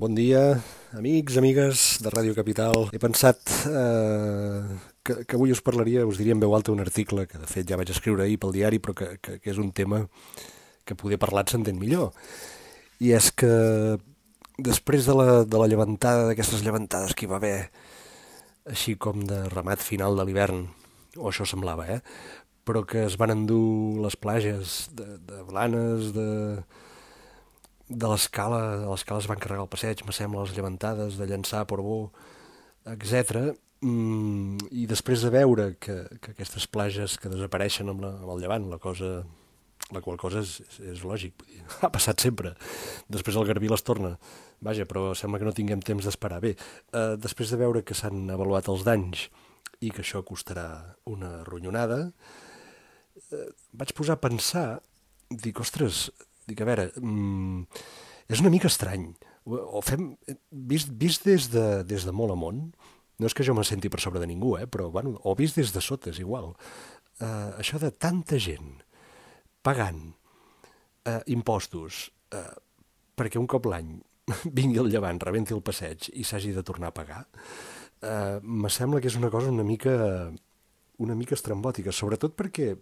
Bon dia, amics, amigues de Ràdio Capital. He pensat que avui us parlaria, us diria en veu alta un article que de fet ja vaig escriure ahir pel diari, però que és un tema que poder parlat s'entén millor. I és que després de la llevantada, d'aquestes llevantades que hi va haver, així com de remat final de l'hivern, o això semblava, però que es van endur les plages de Blanes, de l'escala es van carregar el passeig, me sembla, les llevantades, de Llançà, Portbou, etc. I després de veure que aquestes plages que desapareixen amb el llevant, la qual cosa és lògic, vull dir, ha passat sempre. Després el Garbí les torna, vaja, però sembla que no tinguem temps d'esperar. Bé, després de veure que s'han avaluat els danys i que això costarà una ronyonada, vaig posar a pensar, dic, ostres, dic, a veure, és una mica estrany. O fem, vist des de molt amunt, no és que jo me senti per sobre de ningú, però, bueno, o vist des de sota, és igual. Això de tanta gent pagant impostos perquè un cop l'any vingui el llevant, rebenti el passeig i s'hagi de tornar a pagar, me sembla que és una cosa una mica estrambòtica, sobretot perquè,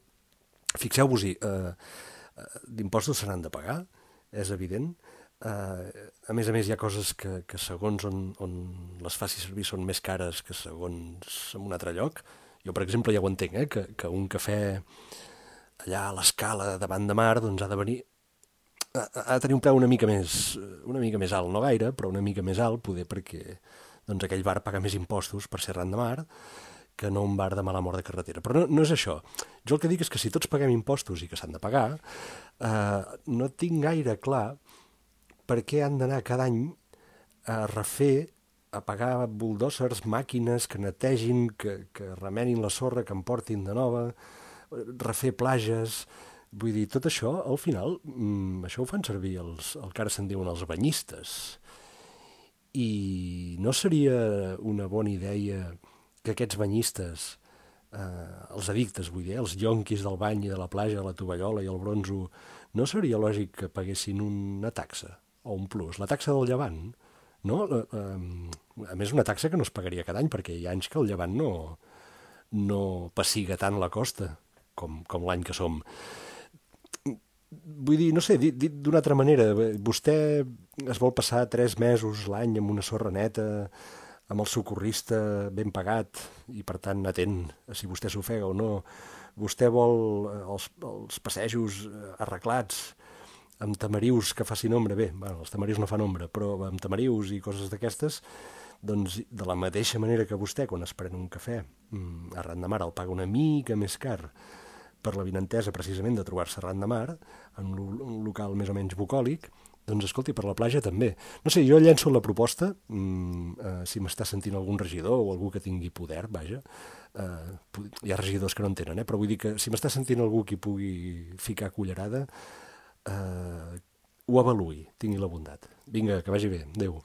fixeu-vos-hi, d'impostos se n'han de pagar, és evident. A més, hi ha coses que segons on les faci servir són més cares que segons en un altre lloc. Jo, per exemple, ja ho entenc, que un cafè allà a l'escala davant de mar doncs ha de tenir un preu una mica més alt, no gaire, però una mica més alt, poder perquè doncs, aquell bar paga més impostos per ser ran de mar que no un bar de mala mort de carretera. Però no és això. Jo el que dic és que si tots paguem impostos i que s'han de pagar, no tinc gaire clar per què han d'anar cada any a refer, a pagar bulldozers, màquines que netegin, que remenin la sorra, que en portin de nova, refer plages. Vull dir, tot això, al final, això ho fan servir el que ara se'n diuen els banyistes. I no seria una bona idea que aquests banyistes, els addictes, vull dir, els yonquis del bany i de la platja, de la tovallola i el bronzo, no seria lògic que paguessin una taxa o un plus, la taxa del llevant, no? A més, una taxa que no es pagaria cada any, perquè hi ha anys que el llevant no pessiga tant la costa com l'any que som. Vull dir, no sé, dit d'una altra manera, vostè es vol passar 3 mesos l'any amb una sorra neta, amb el socorrista ben pagat i, per tant, atent a si vostè s'ofega o no. Vostè vol els passejos arreglats amb tamarius que facin ombra. Bé, bueno, els tamarius no fan ombra, però amb tamarius i coses d'aquestes, doncs, de la mateixa manera que vostè, quan es pren un cafè arran de mar, el paga una mica més car per la vinentesa, precisament, de trobar-se arran de mar, en un local més o menys bucòlic, doncs, escolti, per la platja també. No sé, jo llenço la proposta, si m'està sentint algun regidor o algú que tingui poder, vaja, hi ha regidors que no en tenen, però vull dir que si m'està sentint algú que hi pugui ficar cullerada, ho avaluï, tingui la bondat. Vinga, que vagi bé. Adéu.